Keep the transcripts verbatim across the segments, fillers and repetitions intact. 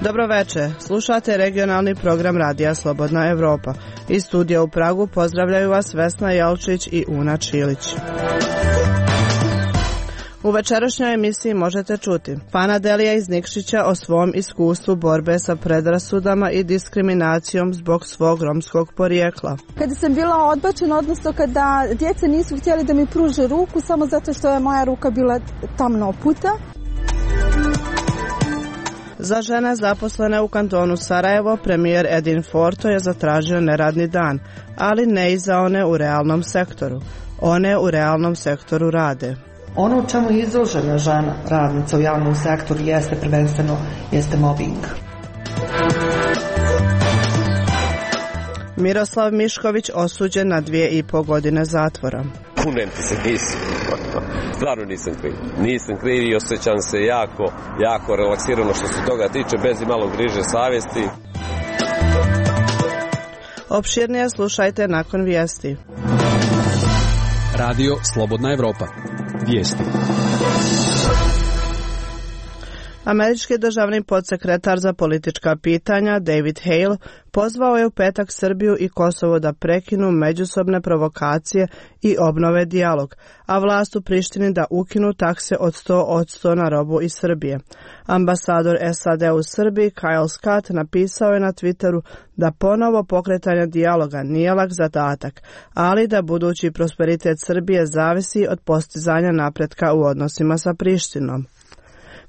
Dobro večer, slušate regionalni program Radija Slobodna Evropa. Iz studija u Pragu pozdravljaju vas Vesna Jelčić i Una Čilić. U večerašnjoj emisiji možete čuti Fana Delija iz Nikšića o svom iskustvu borbe sa predrasudama i diskriminacijom zbog svog romskog porijekla. Kada sam bila odbačena, odnosno kada djeca nisu htjeli da mi pruže ruku samo zato što je moja ruka bila tamno oputa. Za žene zaposlene u kantonu Sarajevo, premijer Edin Forto je zatražio neradni dan, ali ne i za one u realnom sektoru. One u realnom sektoru rade. Ono u čemu je izložena žena radnica u javnom sektoru jeste prvenstveno jeste mobbing. Miroslav Mišković osuđen na dvije i po godine zatvora. Kunem ti se, nisam. Stvarno nisam kriv. Nisam kriv i osjećam se jako, jako relaksirano što se toga tiče, bez i malo griže savjesti. Opširnije slušajte nakon vijesti. Radio Slobodna Evropa. Vijesti. Američki državni podsekretar za politička pitanja David Hale pozvao je u petak Srbiju i Kosovo da prekinu međusobne provokacije i obnove dijalog, a vlast u Prištini da ukinu takse od sto posto na robu iz Srbije. Ambasador S A D u Srbiji Kyle Scott napisao je na Twitteru da ponovo pokretanje dijaloga nije lak zadatak, ali da budući prosperitet Srbije zavisi od postizanja napretka u odnosima sa Prištinom.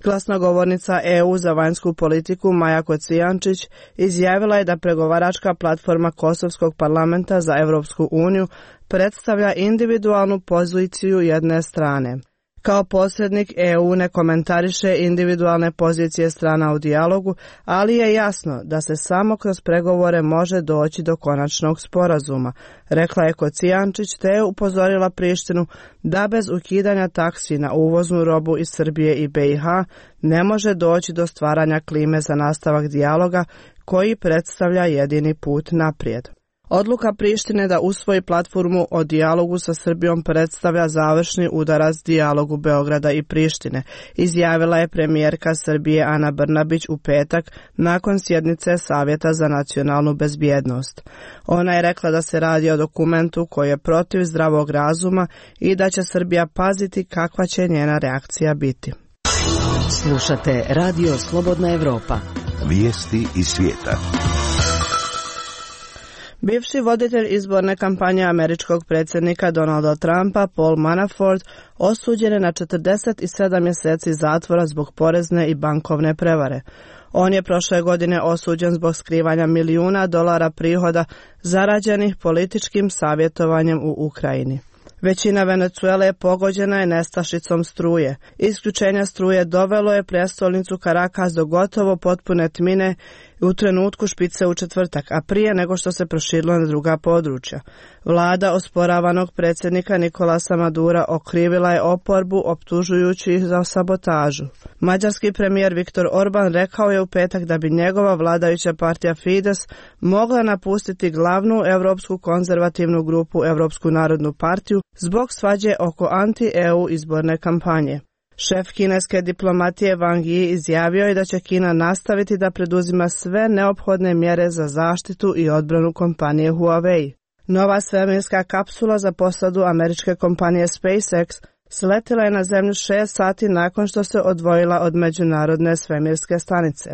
Glasnogovornica E U za vanjsku politiku Maja Kocijančić izjavila je da pregovaračka platforma Kosovskog parlamenta za Evropsku uniju predstavlja individualnu poziciju jedne strane. Kao posrednik E U ne komentariše individualne pozicije strana u dijalogu, ali je jasno da se samo kroz pregovore može doći do konačnog sporazuma, rekla je Kocijančić, te je upozorila Prištinu da bez ukidanja taksi na uvoznu robu iz Srbije i B i H ne može doći do stvaranja klime za nastavak dijaloga koji predstavlja jedini put naprijed. Odluka Prištine da usvoji platformu o dijalogu sa Srbijom predstavlja završni udarac dijalogu Beograda i Prištine, izjavila je premijerka Srbije Ana Brnabić u petak nakon sjednice Savjeta za nacionalnu bezbjednost. Ona je rekla da se radi o dokumentu koji je protiv zdravog razuma i da će Srbija paziti kakva će njena reakcija biti. Slušate Radio Slobodna Evropa. Vijesti iz svijeta. Bivši voditelj izborne kampanje američkog predsjednika Donalda Trumpa, Paul Manafort, osuđen je na četrdeset sedam mjeseci zatvora zbog porezne i bankovne prevare. On je prošle godine osuđen zbog skrivanja milijuna dolara prihoda zarađenih političkim savjetovanjem u Ukrajini. Većina Venecuele pogođena je nestašicom struje. Isključenja struje dovelo je prijestolnicu Caracas do gotovo potpune tmine u trenutku špice u četvrtak, a prije nego što se proširilo na druga područja. Vlada osporavanog predsjednika Nikolasa Madura okrivila je oporbu optužujući ih za sabotažu. Mađarski premijer Viktor Orban rekao je u petak da bi njegova vladajuća partija Fides mogla napustiti glavnu europsku konzervativnu grupu Europsku narodnu partiju zbog svađe oko anti-E U izborne kampanje. Šef kineske diplomatije Wang Yi izjavio je da će Kina nastaviti da preduzima sve neophodne mjere za zaštitu i odbranu kompanije Huawei. Nova svemirska kapsula za posadu američke kompanije SpaceX sletila je na zemlju šest sati nakon što se odvojila od međunarodne svemirske stanice.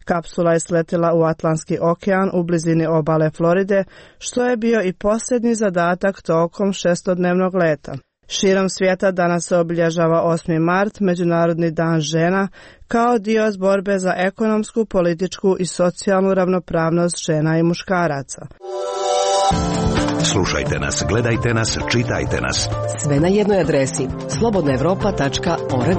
Kapsula je sletila u Atlantski okean u blizini obale Floride, što je bio i posljednji zadatak tokom šestodnevnog leta. Širom svijeta danas se obilježava osmi mart, Međunarodni dan žena, kao dio borbe za ekonomsku, političku i socijalnu ravnopravnost žena i muškaraca. Slušajte nas, gledajte nas, čitajte nas. Sve na jednoj adresi slobodna evropa tačka org.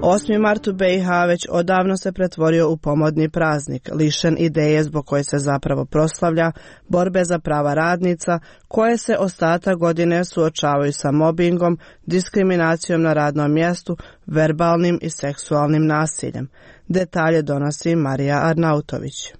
osmi mart u B i H već odavno se pretvorio u pomodni praznik, lišen ideje zbog koje se zapravo proslavlja, borbe za prava radnica, koje se ostatak godine suočavaju sa mobingom, diskriminacijom na radnom mjestu, verbalnim i seksualnim nasiljem. Detalje donosi Marija Arnautović.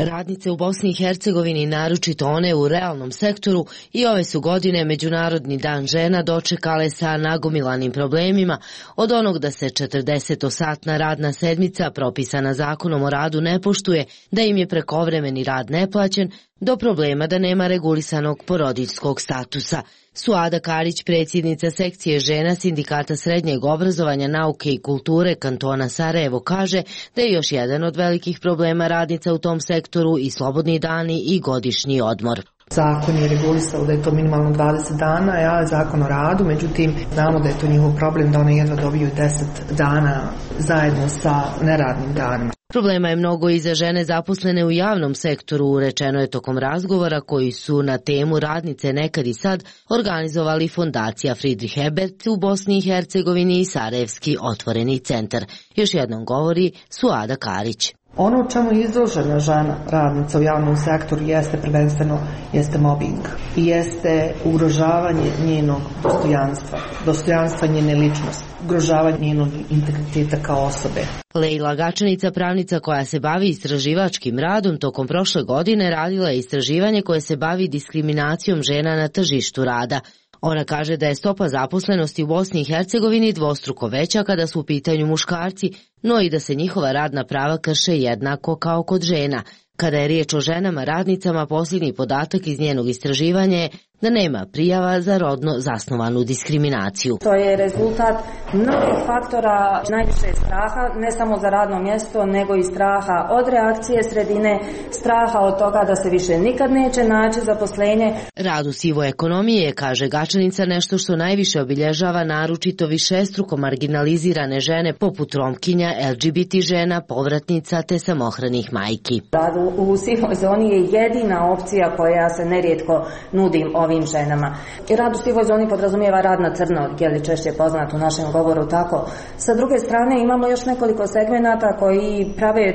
Radnice u Bosni i Hercegovini, naročito one u realnom sektoru, i ove su godine Međunarodni dan žena dočekale sa nagomilanim problemima, od onog da se četrdesetosatna radna sedmica propisana zakonom o radu ne poštuje, da im je prekovremeni rad neplaćen, do problema da nema regulisanog porodiljskog statusa. Suada Karić, predsjednica sekcije žena Sindikata srednjeg obrazovanja, nauke i kulture kantona Sarajevo, kaže da je još jedan od velikih problema radnica u tom sektoru i slobodni dani i godišnji odmor. Zakon je regulisao da je to minimalno dvadeset dana, ja zakon o radu, međutim znamo da je to njihov problem da one jedva dobiju deset dana zajedno sa neradnim danima. Problema je mnogo i za žene zaposlene u javnom sektoru, rečeno je tokom razgovora koji su na temu radnice nekad i sad organizovali Fondacija Friedrich Ebert u Bosni i Hercegovini i Sarajevski otvoreni centar. Još jednom govori Suada Karić. Ono čemu je izložena žena radnica u javnom sektoru jeste prvenstveno jeste mobbing i jeste ugrožavanje njenog dostojanstva, dostojanstva njene ličnosti, ugrožavanje njenog integriteta kao osobe. Lejla Gačanica, pravnica koja se bavi istraživačkim radom, tokom prošle godine radila je istraživanje koje se bavi diskriminacijom žena na tržištu rada. Ona kaže da je stopa zaposlenosti u Bosni i Hercegovini dvostruko veća kada su u pitanju muškarci, no i da se njihova radna prava krše jednako kao kod žena. Kada je riječ o ženama radnicama, posljednji podatak iz njenog istraživanja je da nema prijava za rodno zasnovanu diskriminaciju. To je rezultat mnogih faktora, najviše straha, ne samo za radno mjesto, nego i straha od reakcije sredine, straha od toga da se više nikad neće naći zaposlenje. Rad u sivoj ekonomiji je, kaže Gačanica, nešto što najviše obilježava naročito višestruko marginalizirane žene poput Romkinja, L G B T žena, povratnica te samohranih majki. Rad u sivoj zoni je jedina opcija koja se nerijetko nudi ovim ženama. I rad u sivoj zoni podrazumijeva rad na crno, je li češće poznat u našem govoru tako. Sa druge strane imamo još nekoliko segmenata koji prave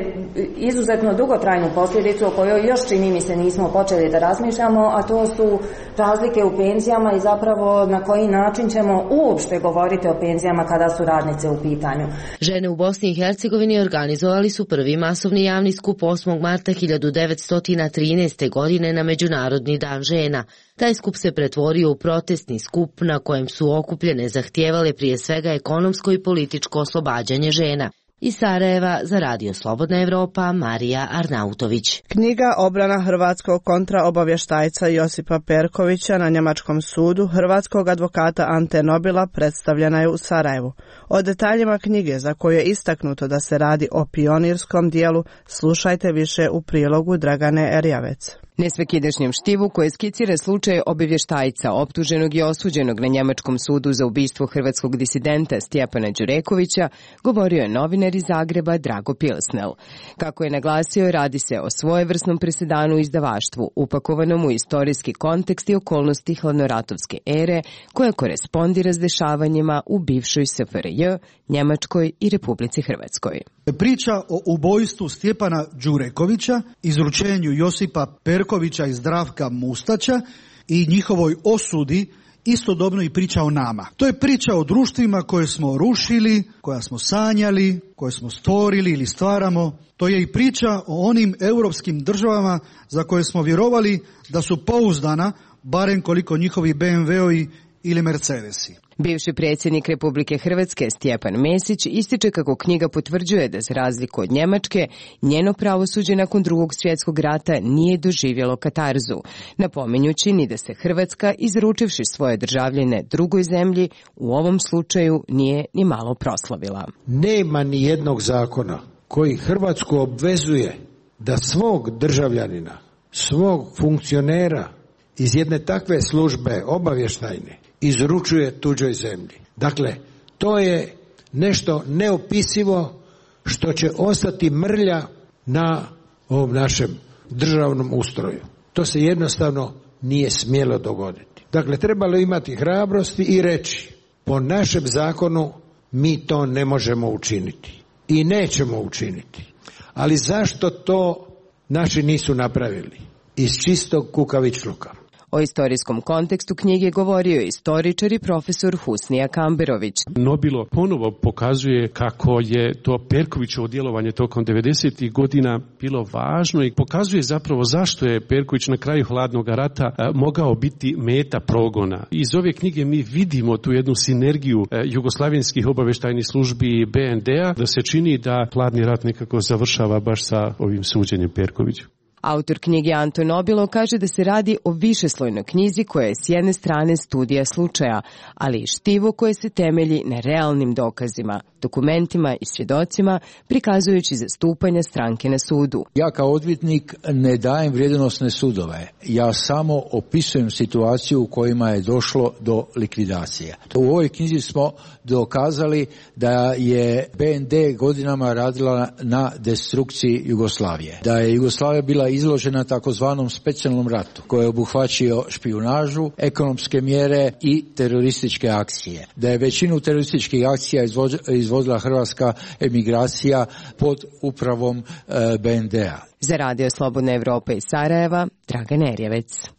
izuzetno dugotrajnu posljedicu o kojoj još čini mi se nismo počeli da razmišljamo, a to su razlike u penzijama i zapravo na koji način ćemo uopšte govoriti o penzijama kada su radnice u pitanju. Žene u Bosni i Hercegovini organizovali su prvi masovni javni skup osmog marta hiljadu devetsto trinaeste. godine na Međunarodni dan žena. Taj skup se pretvorio u protestni skup na kojem su okupljene zahtijevale prije svega ekonomsko i političko oslobađanje žena. Iz Sarajeva za Radio Slobodna Evropa, Marija Arnautović. Knjiga Obrana hrvatskog kontraobavještajca Josipa Perkovića na njemačkom sudu hrvatskog advokata Ante Nobila predstavljena je u Sarajevu. O detaljima knjige, za koju je istaknuto da se radi o pionirskom dijelu, slušajte više u prilogu Dragane Erjavec. Nesvakidašnjem štivu koje skicira slučaj obavještajca optuženog i osuđenog na njemačkom sudu za ubistvo hrvatskog disidenta Stjepana Đurekovića govorio je novinar iz Zagreba Drago Pilsnel. Kako je naglasio, radi se o svojevrsnom presedanu izdavaštvu, upakovanom u istorijski kontekst i okolnosti hladnoratovske ere koja korespondira s dešavanjima u bivšoj S F R J, Njemačkoj i Republici Hrvatskoj. Priča o ubojstvu Stjepana Đurekovića, izručenju Josipa Perkovića i Zdravka Mustača i njihovoj osudi istodobno i priča o nama. To je priča o društvima koje smo rušili, koja smo sanjali, koje smo stvorili ili stvaramo. To je i priča o onim europskim državama za koje smo vjerovali da su pouzdana, barem koliko njihovi B M W-ovi ili Mercedesi. Bivši predsjednik Republike Hrvatske Stjepan Mesić ističe kako knjiga potvrđuje da za razliku od Njemačke, njeno pravosuđe nakon drugog svjetskog rata nije doživjelo katarzu, napominjući ni da se Hrvatska, izručivši svoje državljane drugoj zemlji, u ovom slučaju nije ni malo proslavila. Nema ni jednog zakona koji Hrvatsku obvezuje da svog državljanina, svog funkcionera iz jedne takve službe obavještajne izručuje tuđoj zemlji. Dakle, to je nešto neopisivo što će ostati mrlja na ovom našem državnom ustroju. To se jednostavno nije smjelo dogoditi. Dakle, trebalo imati hrabrosti i reći, po našem zakonu mi to ne možemo učiniti i nećemo učiniti. Ali zašto to naši nisu napravili? Iz čistog kukavičluka. O istorijskom kontekstu knjige govorio je istoričar i profesor Husnija Kamberović. Nobilo ponovo pokazuje kako je to Perkovićevo djelovanje tokom devedesetih godina bilo važno i pokazuje zapravo zašto je Perković na kraju hladnog rata mogao biti meta progona. Iz ove knjige mi vidimo tu jednu sinergiju jugoslavenskih obavještajnih službi i be en de a, da se čini da hladni rat nekako završava baš sa ovim suđenjem Perkoviću. Autor knjige Anton Nobilo kaže da se radi o višeslojnoj knjizi koja je s jedne strane studija slučaja, ali i štivo koje se temelji na realnim dokazima, dokumentima i svjedocima, prikazujući zastupanja stranke na sudu. Ja kao odvjetnik ne dajem vrijednosne sudove. Ja samo opisujem situaciju u kojima je došlo do likvidacije. U ovoj knjizi smo dokazali da je be en de godinama radila na destrukciji Jugoslavije. Da je Jugoslavija bila izložena takozvanom specijalnom ratu koji je obuhvaćio špijunažu, ekonomske mjere i terorističke akcije. Da je većinu terorističkih akcija izvodila hrvatska emigracija pod upravom e, be en de a. Za Radio Slobodna Evropa iz Sarajeva, Dragan Erjevec.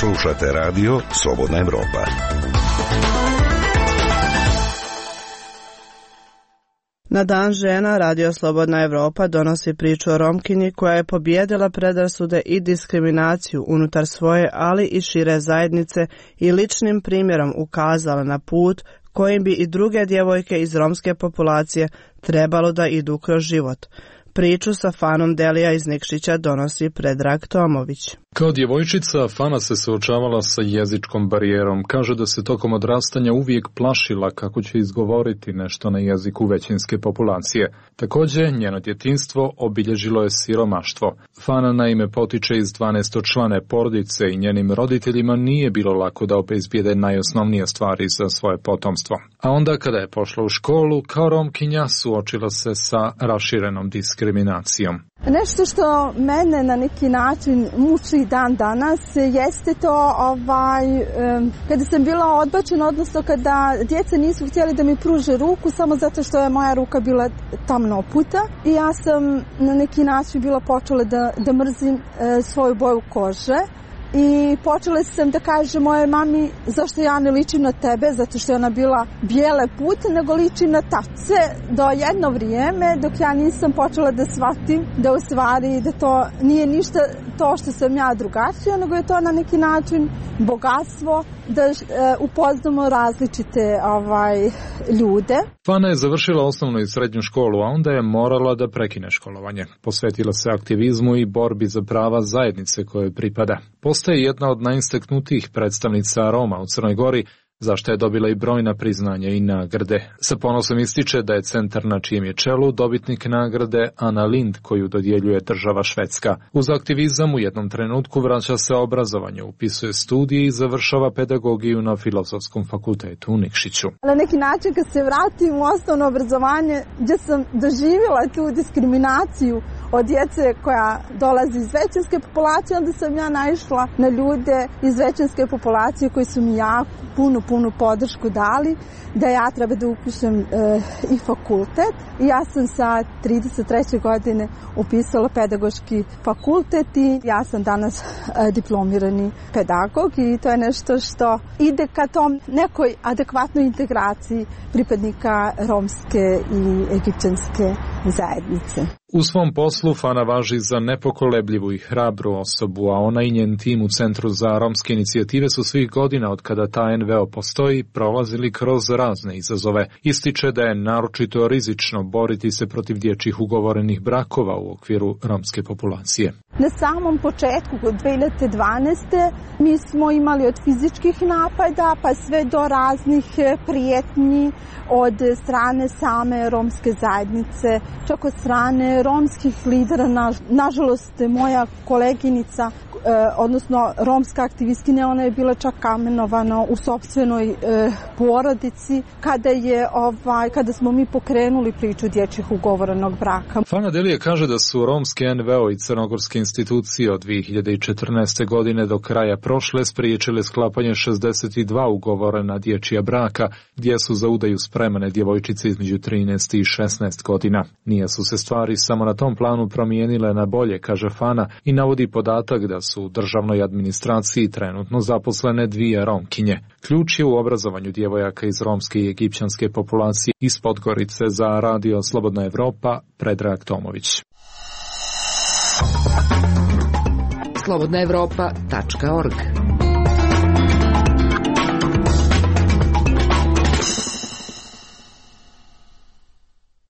Slušate Radio Slobodna Evropa. Na Dan žena Radio Slobodna Evropa donosi priču o Romkinji koja je pobijedila predrasude i diskriminaciju unutar svoje, ali i šire zajednice i ličnim primjerom ukazala na put kojim bi i druge djevojke iz romske populacije trebalo da idu kroz život. Priču sa Fanom Delija iz Nikšića donosi Predrag Tomović. Kao djevojčica, Fana se suočavala sa jezičkom barijerom. Kaže da se tokom odrastanja uvijek plašila kako će izgovoriti nešto na jeziku većinske populacije. Također, njeno djetinjstvo obilježilo je siromaštvo. Fana naime potiče iz dvanaestočlane porodice i njenim roditeljima nije bilo lako da obezbijede najosnovnije stvari za svoje potomstvo. A onda kada je pošla u školu, kao Romkinja suočila se sa raširenom diskriminacijom. Nešto što mene na neki način muči dan danas jeste to ovaj, kada sam bila odbačena, odnosno kada djeca nisu htjeli da mi pruže ruku samo zato što je moja ruka bila tamno oputa i ja sam na neki način bila počela da, da mrzim svoju boju kože. I počela sam da kažem moje mami zašto ja ne ličim na tebe, zato što je ona bila bijele pute, nego ličim na tace do jedno vrijeme dok ja nisam počela da shvatim da u stvari da to nije ništa to što sam ja drugačija, nego je to na neki način bogatstvo da e, upoznamo različite ovaj, ljude. Fana je završila osnovnu i srednju školu, a onda je morala da prekine školovanje. Posvetila se aktivizmu i borbi za prava zajednice kojoj pripada. Postaje jedna od najistaknutijih predstavnica Roma u Crnoj Gori, zašto je dobila i brojna priznanja i nagrade. Sa ponosom ističe da je centar na čijem je čelu dobitnik nagrade Ana Lind koju dodjeljuje država Švedska. Uz aktivizam u jednom trenutku vraća se obrazovanje, upisuje studije i završava pedagogiju na Filozofskom fakultetu u Nikšiću. Na neki način kad se vratim u osnovno obrazovanje gdje sam doživjela tu diskriminaciju od djece koja dolazi iz većinske populacije, onda sam ja naišla na ljude iz većinske populacije koji su mi jako punu, punu podršku dali da ja treba da upišem e, i fakultet. I ja sam sa trideset treće godine upisala pedagoški fakultet i ja sam danas e, diplomirani pedagog i to je nešto što ide ka tom nekoj adekvatnoj integraciji pripadnika romske i egipćanske zajednice. U svom poslu Fana važi za nepokolebljivu i hrabru osobu, a ona i njen tim u Centru za romske inicijative su svih godina od kada ta en ve o postoji prolazili kroz razne izazove. Ističe da je naročito rizično boriti se protiv dječjih ugovorenih brakova u okviru romske populacije. Na samom početku, od dve hiljade dvanaeste. mi smo imali od fizičkih napada pa sve do raznih prijetnji od strane same romske zajednice, čak od strane romskih lidera. Na, nažalost, moja koleginica, eh, odnosno romska aktivistkinja, ona je bila čak kamenovana u sopstvenoj eh, porodici kada, je, ovaj, kada smo mi pokrenuli priču dječjih ugovorenog braka. Fana Delija kaže da su romske en ve o i crnogorske institucije od dvije hiljade četrnaeste. godine do kraja prošle spriječile sklapanje šezdeset dva ugovorena dječja braka, gdje su za udaju spremane djevojčice između trinaest i šesnaest godina. Nije su se stvari samo na tom planu promijenile na bolje, kaže Fana, i navodi podatak da su u državnoj administraciji trenutno zaposlene dvije Romkinje. Ključ je u obrazovanju djevojaka iz romske i egipćanske populacije. Iz Podgorice za Radio Slobodna Evropa, Predrag Tomović. slobodna evropa tačka org.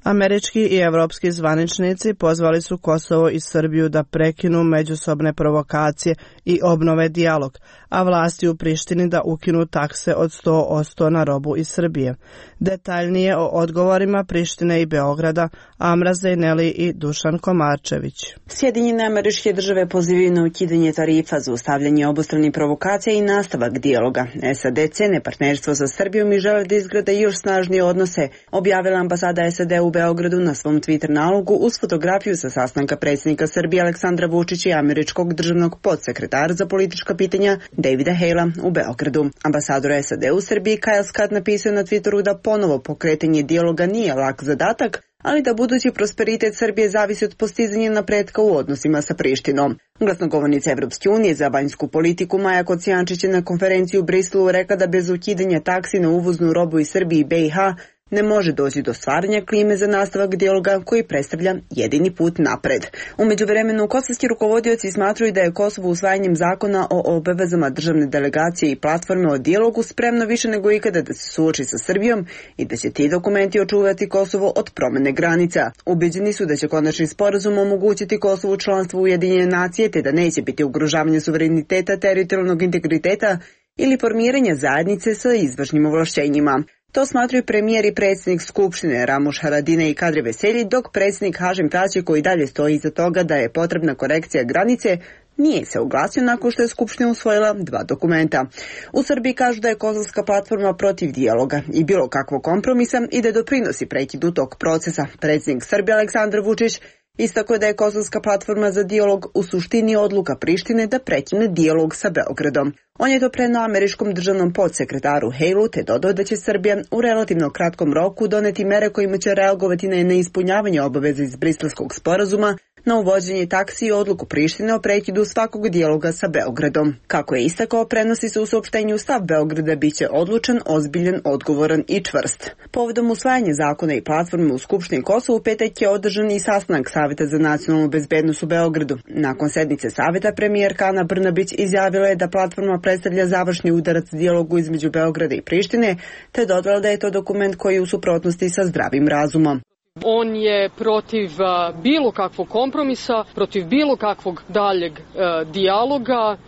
Američki i evropski zvaničnici pozvali su Kosovo i Srbiju da prekinu međusobne provokacije i obnove dijalog, a vlasti u Prištini da ukinu takse od sto posto na robu iz Srbije. Detaljnije o odgovorima Prištine i Beograda Amra Zejneli i Dušan Komarčević. Sjedinjene Američke Države pozivaju na ukidanje tarifa, zaustavljanje obostranih provokacija i nastavak dijaloga. S A D cene partnerstvo sa Srbijom i žele da izgrade još snažnije odnose, objavila ambasada S A D u Beogradu na svom Twitter nalogu uz fotografiju sa sastanka predsjednika Srbije Aleksandra Vučića i američkog državnog podsekretara za politička pitanja Davida Halea u Beogradu. Ambasador S A D u Srbiji Kyle Scott napisao na Twitteru da ponovo pokretanje dijaloga nije lak zadatak, ali da budući prosperitet Srbije zavisi od postizanja napretka u odnosima sa Prištinom. Glasnogovornica Evropske unije za vanjsku politiku Maja Kocijančić je na konferenciji u Briselu rekla da bez ukidanja taksi na uvoznu robu iz Srbije i B i H ne može doći do stvaranja klime za nastavak dijaloga koji predstavlja jedini put napred. U međuvremenu, kosovski rukovodioci smatruju da je Kosovo usvajanjem zakona o obavezama državne delegacije i platforme o dijalogu spremno više nego ikada da se suoči sa Srbijom i da će ti dokumenti očuvati Kosovo od promene granica. Ubeđeni su da će konačni sporazum omogućiti Kosovu članstvo u Ujedinjene nacije te da neće biti ugrožavanje suvereniteta, teritorijalnog integriteta ili formiranja zajednice sa izvršnim ovlašćenjima. To smatruju premijer i predsjednik Skupštine Ramuš Haradinaj i Kadri Veselji, dok predsjednik Hašim Tači, koji dalje stoji iza toga da je potrebna korekcija granice, nije se oglasio nakon što je Skupština usvojila dva dokumenta. U Srbiji kažu da je kosovska platforma protiv dijaloga i bilo kakvog kompromisa i da doprinosi prekidu tog procesa. Predsjednik Srbije Aleksandar Vučić istako da je kosovska platforma za dijalog u suštini odluka Prištine da prekine dijalog sa Beogradom. On je to preneo američkom državnom podsekretaru Haleu te dodao da će Srbija u relativno kratkom roku doneti mere kojima će reagovati na neispunjavanje obaveza iz Briselskog sporazuma, na uvođenje taksi i odluku Prištine o prekidu svakog dijaloga sa Beogradom. Kako je istakao, prenosi se u saopštenju stav Beograda biće odlučan, ozbiljan, odgovoran i čvrst. Povodom usvajanja zakona i platforme u Skupštini Kosova u petak je održan i sastanak Saveta za nacionalnu bezbednost u Beogradu. Nakon sednice Saveta premijerka Ana Brnabić izjavila je da platforma predstavlja završni udarac dijalogu između Beograda i Prištine, te dodala da je to dokument koji je u suprotnosti sa zdravim razumom. On je protiv uh, bilo kakvog kompromisa, protiv bilo kakvog daljeg uh, dijaloga, uh,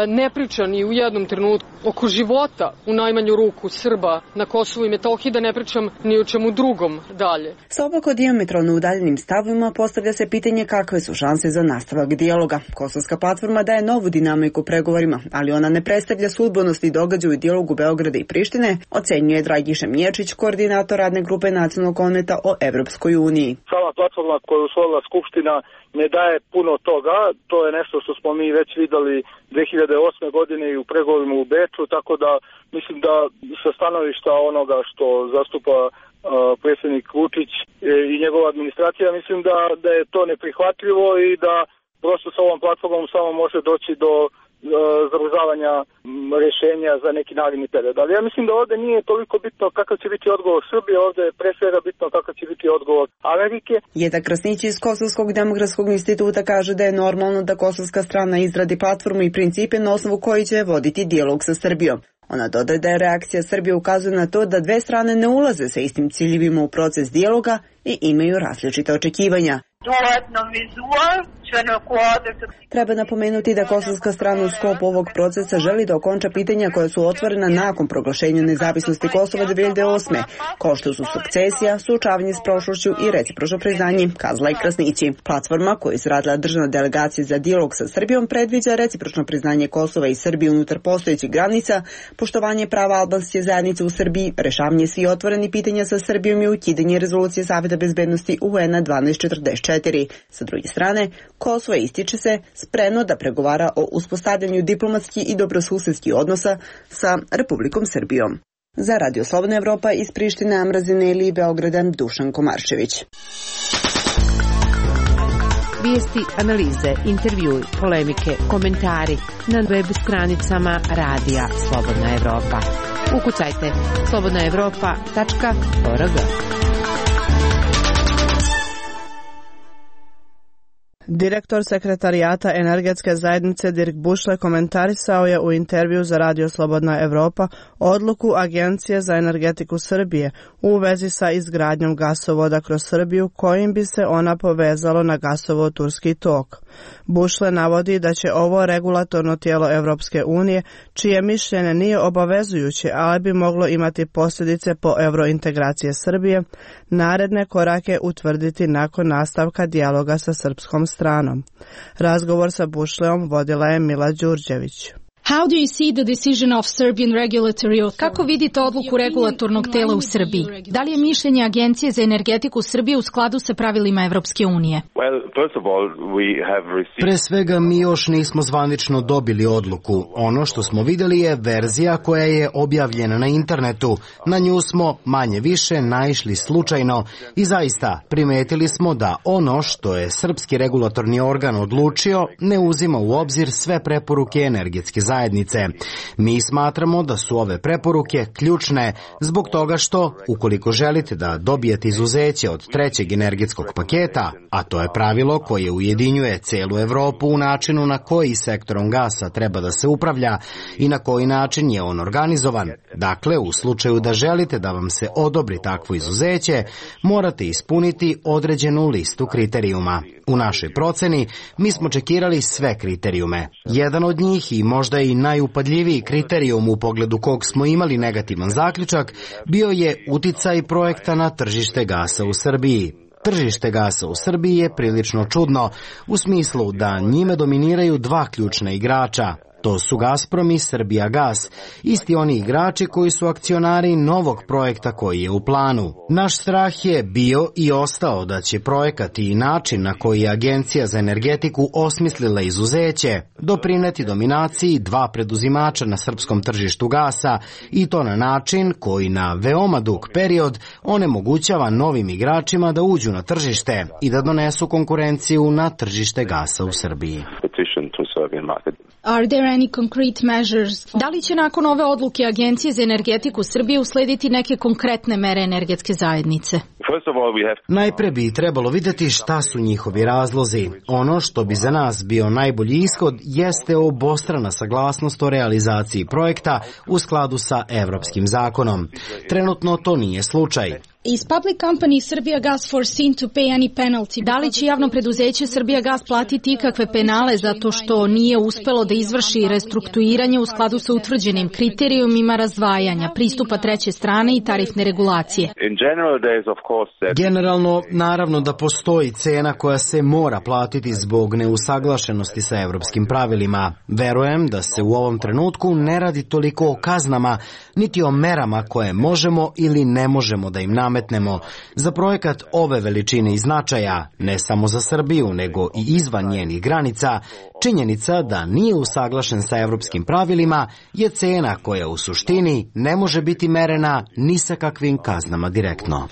ne priča ni u jednom trenutku oko života, u najmanju ruku Srba na Kosovu i Metohiji, da ne pričam ni o čemu drugom dalje. Sa obako dijametralno udaljenim stavima postavlja se pitanje kakve su šanse za nastavak dijaloga. Kosovska platforma daje novu dinamiku pregovorima, ali ona ne predstavlja sudbonosni događaj u dijalogu Beograda i Prištine, ocenjuje Dragiša Miječić, koordinator radne grupe Nacionalnog konventa o Evropskoj uniji. Sama platforma koju je usvojila Skupština ne daje puno toga, to je nešto što smo mi već videli dve hiljade osme godine i u pregovorima u Beču, tako da mislim da sa stanovišta onoga što zastupa uh, predsjednik Vučić e, i njegova administracija, mislim da, da je to neprihvatljivo i da prosto sa ovom platformom samo može doći do zamrzavanja rješenja za neki naredni period. Ali ja mislim da ovdje nije toliko bitno kakav će biti odgovor Srbije, ovdje je pre svega bitno kakav će biti odgovor Amerike. Jeda Krasnić iz Kosovskog demokratskog instituta kaže da je normalno da kosovska strana izradi platformu i principe na osnovu koji će voditi dijalog sa Srbijom. Ona dodaje da je reakcija Srbije ukazuje na to da dve strane ne ulaze sa istim ciljevima u proces dijaloga i imaju različita očekivanja. Treba napomenuti da kosovska strana u sklopu ovog procesa želi da okonča pitanja koja su otvorena nakon proglašenja nezavisnosti Kosova dve hiljade osme, kao što su sukcesija, suočavanje s prošlošću i recipročno priznanje, kazala i Krasnići. Platforma koju je izradila državna delegacija za dijalog sa Srbijom predviđa recipročno priznanje Kosova i Srbije unutar postojećih granica, poštovanje prava albanske zajednice u Srbiji, rešavanje svih otvorenih pitanja sa Srbijom i ukidanje rezolucije Saveta bezbednosti U N dvanaest četrdeset četiri. Sa druge strane, Kosovo ističe se spremno da pregovara o uspostavljanju diplomatskih i dobrosusedskih odnosa sa Republikom Srbijom. Za Radio Slobodna Evropa iz Prištine, Amra Zejneli i Beograda, Dušan Komarčević. Vijesti, analize, intervjui, polemike, komentari na web stranicama Radija Slobodna Evropa. Ukucajte slobodna evropa tačka org. Direktor sekretarijata energetske zajednice Dirk Bušle komentarisao je u intervju za Radio Slobodna Evropa odluku Agencije za energetiku Srbije u vezi sa izgradnjom gasovoda kroz Srbiju kojim bi se ona povezalo na gasovod Turski tok. Bušle navodi da će ovo regulatorno tijelo Evropske unije, čije mišljenje nije obavezujuće, ali bi moglo imati posljedice po eurointegracije Srbije, naredne korake utvrditi nakon nastavka dijaloga sa srpskom stranom. Razgovor sa Bušleom vodila je Mila Đurđević. How do you see the decision of Serbian regulatory authority? Kako vidite odluku regulatornog tela u Srbiji? Da li je mišljenje Agencije za energetiku Srbije u skladu sa pravilima Evropske unije? Well, first of all, we have received... Pre svega mi još nismo zvanično dobili odluku. Ono što smo vidjeli je verzija koja je objavljena na internetu. Na nju smo manje više naišli slučajno i zaista primetili smo da ono što je srpski regulatorni organ odlučio ne uzima u obzir sve preporuke energetske zajednice. Zajednice. Mi smatramo da su ove preporuke ključne zbog toga što, ukoliko želite da dobijete izuzeće od trećeg energetskog paketa, a to je pravilo koje ujedinjuje celu Evropu u načinu na koji sektorom gasa treba da se upravlja i na koji način je on organizovan. Dakle, u slučaju da želite da vam se odobri takvo izuzeće, morate ispuniti određenu listu kriterijuma. U našoj proceni mi smo čekirali sve kriterijume. Jedan od njih i možda i najupadljiviji kriterijum u pogledu kog smo imali negativan zaključak bio je uticaj projekta na tržište gasa u Srbiji. Tržište gasa u Srbiji je prilično čudno u smislu da njime dominiraju dva ključna igrača. To su Gazprom i Srbijagas, isti oni igrači koji su akcionari novog projekta koji je u planu. Naš strah je bio i ostao da će projekat i način na koji je Agencija za energetiku osmislila izuzeće doprineti dominaciji dva preduzimača na srpskom tržištu gasa i to na način koji na veoma dug period onemogućava novim igračima da uđu na tržište i da donesu konkurenciju na tržište gasa u Srbiji. Are there any concrete measures? Da li će nakon ove odluke Agencije za energetiku Srbije uslediti neke konkretne mere energetske zajednice? Najpre bi trebalo vidjeti šta su njihovi razlozi. Ono što bi za nas bio najbolji ishod jeste obostrana saglasnost o realizaciji projekta u skladu sa evropskim zakonom. Trenutno to nije slučaj. Is public company Srbijagas foreseen to pay any penalty? Da li će javno preduzeće Srbijagas platiti ikakve penale zato što nije uspelo da izvrši restrukturiranje u skladu sa utvrđenim kriterijumima razdvajanja, pristupa treće strane i tarifne regulacije? Generalno, naravno da postoji cena koja se mora platiti zbog neusaglašenosti sa evropskim pravilima. Verujem da se u ovom trenutku ne radi toliko o kaznama, niti o merama koje možemo ili ne možemo da im nametnemo. Za projekat ove veličine i značaja, ne samo za Srbiju, nego i izvan njenih granica, činjenica da nije usaglašen sa evropskim pravilima je cena koja u suštini ne može biti merena ni sa kakvim kaznama direktno.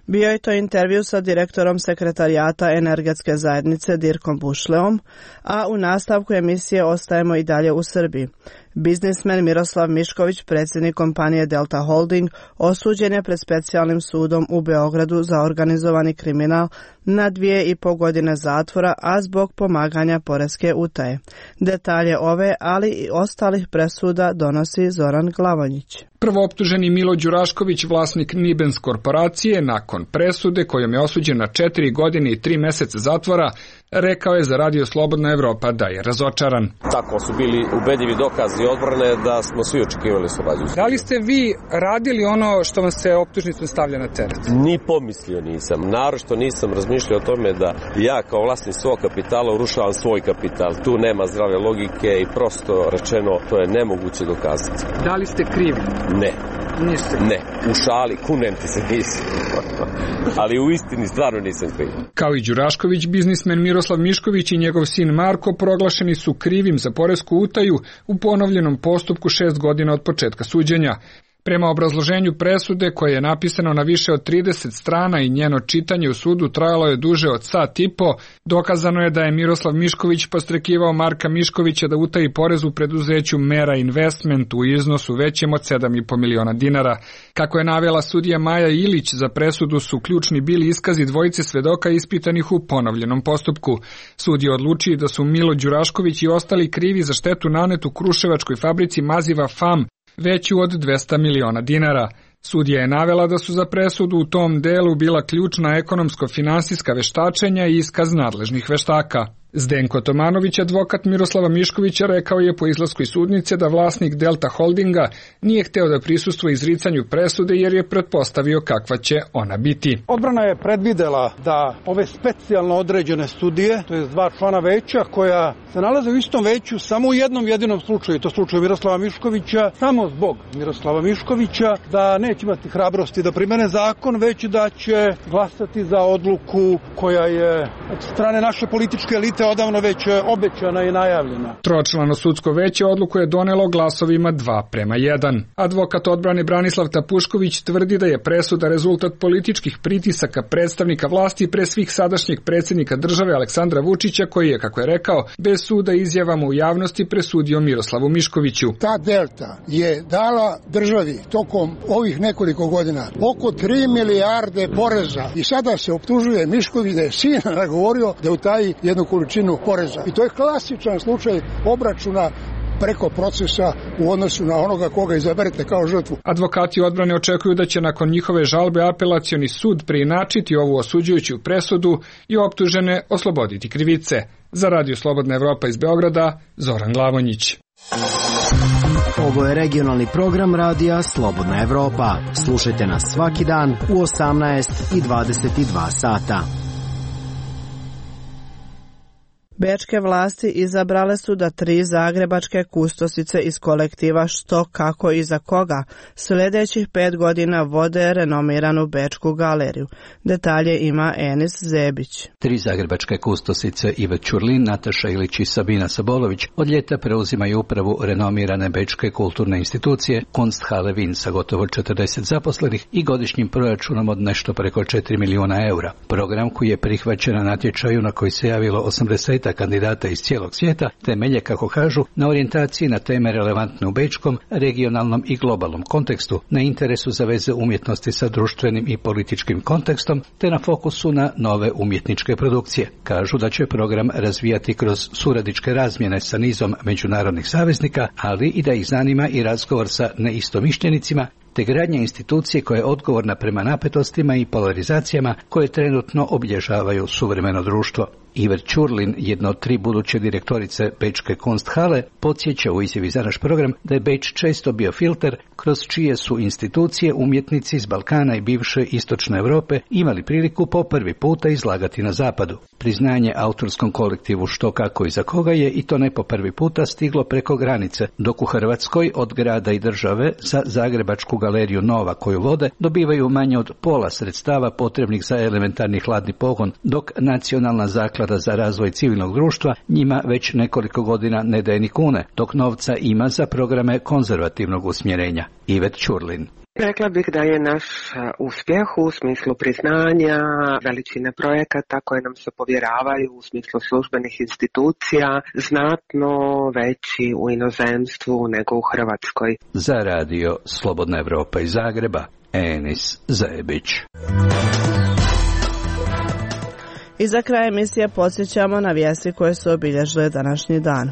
Bio je to intervju sa direktorom sekretarijata energetske zajednice Dirkom Bušleom, a u nastavku emisije ostajemo i dalje u Srbiji. Biznismen Miroslav Mišković, predsjednik kompanije Delta Holding, osuđen je pred specijalnim sudom u Beogradu za organizovani kriminal na dvije i po godine zatvora, a zbog pomaganja poreske utaje. Detalje ove, ali i ostalih presuda donosi Zoran Glavonjić. Prvooptuženi Milo Đurašković, vlasnik Nibens korporacije, nakon presude kojom je osuđen na četiri godine i tri meseca zatvora, rekao je za Radio Slobodna Evropa da je razočaran. Tako su bili ubedljivi dokazi odbrane da smo svi očekivali slobodu. Da li ste vi radili ono što vam se optužnicom stavlja na teret? Ni pomislio nisam. Naročito nisam razmišljao o tome da ja kao vlasnik svog kapitala urušavam svoj kapital. Tu nema zdrave logike i prosto rečeno to je nemoguće dokazati. Da li ste krivi? Ne. Niste? Ne. U šali, kunem ti se nisam. Ali u istini stvarno nisam kriv. Kao i Đurašković, biznismen Miroslav Mišković i njegov sin Marko proglašeni su krivim za poresku utaju u ponovljenom postupku šest godina od početka suđenja. Prema obrazloženju presude, koje je napisano na više od trideset strana i njeno čitanje u sudu trajalo je duže od sat i po, dokazano je da je Miroslav Mišković postrekivao Marka Miškovića da utaji porez u preduzeću Mera Investment u iznosu većem od sedam i po miliona dinara. Kako je navela sudija Maja Ilić, za presudu su ključni bili iskazi dvojice svedoka ispitanih u ponovljenom postupku. Sud je odlučio da su Milo Đurašković i ostali krivi za štetu nanetu kruševačkoj fabrici maziva F A M veću od dvesta miliona dinara. Sudija je navela da su za presudu u tom delu bila ključna ekonomsko-finansijska veštačenja i iskaz nadležnih veštaka. Zdenko Tomanović, advokat Miroslava Miškovića, rekao je po izlasku iz sudnice da vlasnik Delta Holdinga nije hteo da prisustvuje izricanju presude jer je pretpostavio kakva će ona biti. Odbrana je predvidela da ove specijalno određene sudije, to je dva člana veća koja se nalaze u istom veću samo u jednom jedinom slučaju, to slučaju Miroslava Miškovića, samo zbog Miroslava Miškovića, da neće imati hrabrosti da primene zakon, već da će glasati za odluku koja je od strane naše političke elite odavno već obećana i najavljena. Tročlano sudsko veće odluku je donelo glasovima dva prema jedan. Advokat odbrane Branislav Tapušković tvrdi da je presuda rezultat političkih pritisaka predstavnika vlasti, pre svih sadašnjeg predsjednika države Aleksandra Vučića, koji je, kako je rekao, bez suda izjavama u javnosti presudio Miroslavu Miškoviću. Ta Delta je dala državi tokom ovih nekoliko godina oko tri milijarde poreza i sada se optužuje Mišković da je sina nagovorio da utaji jednu količinu poreza. I to je klasičan slučaj obračuna preko procesa u odnosu na onoga koga izaberete kao žrtvu. Advokati odbrane očekuju da će nakon njihove žalbe apelacioni sud preinačiti ovu osuđujuću presudu i optužene osloboditi krivice. Za Radio Slobodna Evropa iz Beograda, Zoran Glavonjić. Ovo je regionalni program Radija Slobodna Evropa. Slušajte nas svaki dan u osamnaest i dvadeset dva sata. Bečke vlasti izabrale su da tri zagrebačke kustosice iz kolektiva Što, kako i za koga sljedećih pet godina vode renomiranu Bečku galeriju. Detalje ima Enis Zebić. Tri zagrebačke kustosice Ive Ćurlin, Nataša Ilić i Sabina Sabolović od ljeta preuzimaju upravu renomirane Bečke kulturne institucije Kunsthalle Wien sa gotovo četrdeset zaposlenih i godišnjim proračunom od nešto preko četiri milijuna eura. Program koji je prihvaćen na natječaju na koji se javilo osamdeset kandidata iz cijelog svijeta temelje, kako kažu, na orijentaciji na teme relevantne u bečkom, regionalnom i globalnom kontekstu, na interesu za veze umjetnosti sa društvenim i političkim kontekstom, te na fokusu na nove umjetničke produkcije. Kažu da će program razvijati kroz suradničke razmjene sa nizom međunarodnih saveznika, ali i da ih zanima i razgovor sa neistomišljenicima, te gradnja institucije koja je odgovorna prema napetostima i polarizacijama koje trenutno obilježavaju suvremeno društvo. Iver Ćurlin, jedna od tri buduće direktorice Bečke Kunsthalle, podsjeća u izjavi za naš program da je Beč često bio filter kroz čije su institucije umjetnici iz Balkana i bivše istočne Europe imali priliku po prvi puta izlagati na zapadu. Priznanje autorskom kolektivu Što, kako i za koga je, i to ne po prvi puta, stiglo preko granice, dok u Hrvatskoj od grada i države za Zagrebačku galeriju Nova koju vode dobivaju manje od pola sredstava potrebnih za elementarni hladni pogon, dok Nacionalna zaklada za razvoj civilnog društva njima već nekoliko godina ne daje ni kune, dok novca ima za programe konzervativnog usmjerenja. Ivet Ćurlin. Rekla bih da je naš uspjeh u smislu priznanja, veličine projekata koje nam se povjeravaju u smislu službenih institucija znatno veći u inozemstvu nego u Hrvatskoj. Za Radio Slobodna Evropa iz Zagreba, Enis Zebić. I za kraj emisije podsjećamo na vijesti koje su obilježile današnji dan.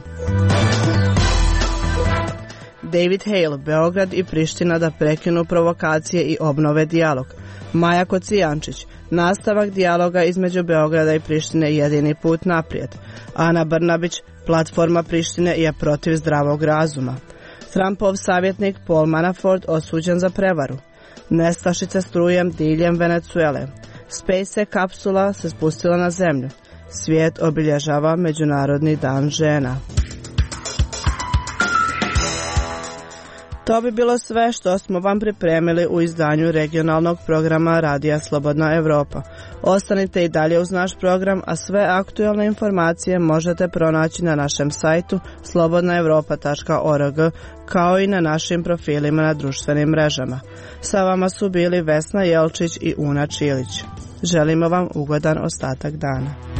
David Hale, Beograd i Priština da prekinu provokacije i obnove dijalog. Maja Kocijančić, nastavak dijaloga između Beograda i Prištine jedini put naprijed. Ana Brnabić, platforma Prištine je protiv zdravog razuma. Trumpov savjetnik Paul Manafort osuđen za prevaru. Nestašice strujem diljem Venezuele. SpaceX kapsula se spustila na zemlju. Svijet obilježava Međunarodni dan žena. To bi bilo sve što smo vam pripremili u izdanju regionalnog programa Radija Slobodna Evropa. Ostanite i dalje uz naš program, a sve aktualne informacije možete pronaći na našem sajtu slobodna evropa tačka org, kao i na našim profilima na društvenim mrežama. Sa vama su bili Vesna Jelčić i Una Čilić. Želimo vam ugodan ostatak dana.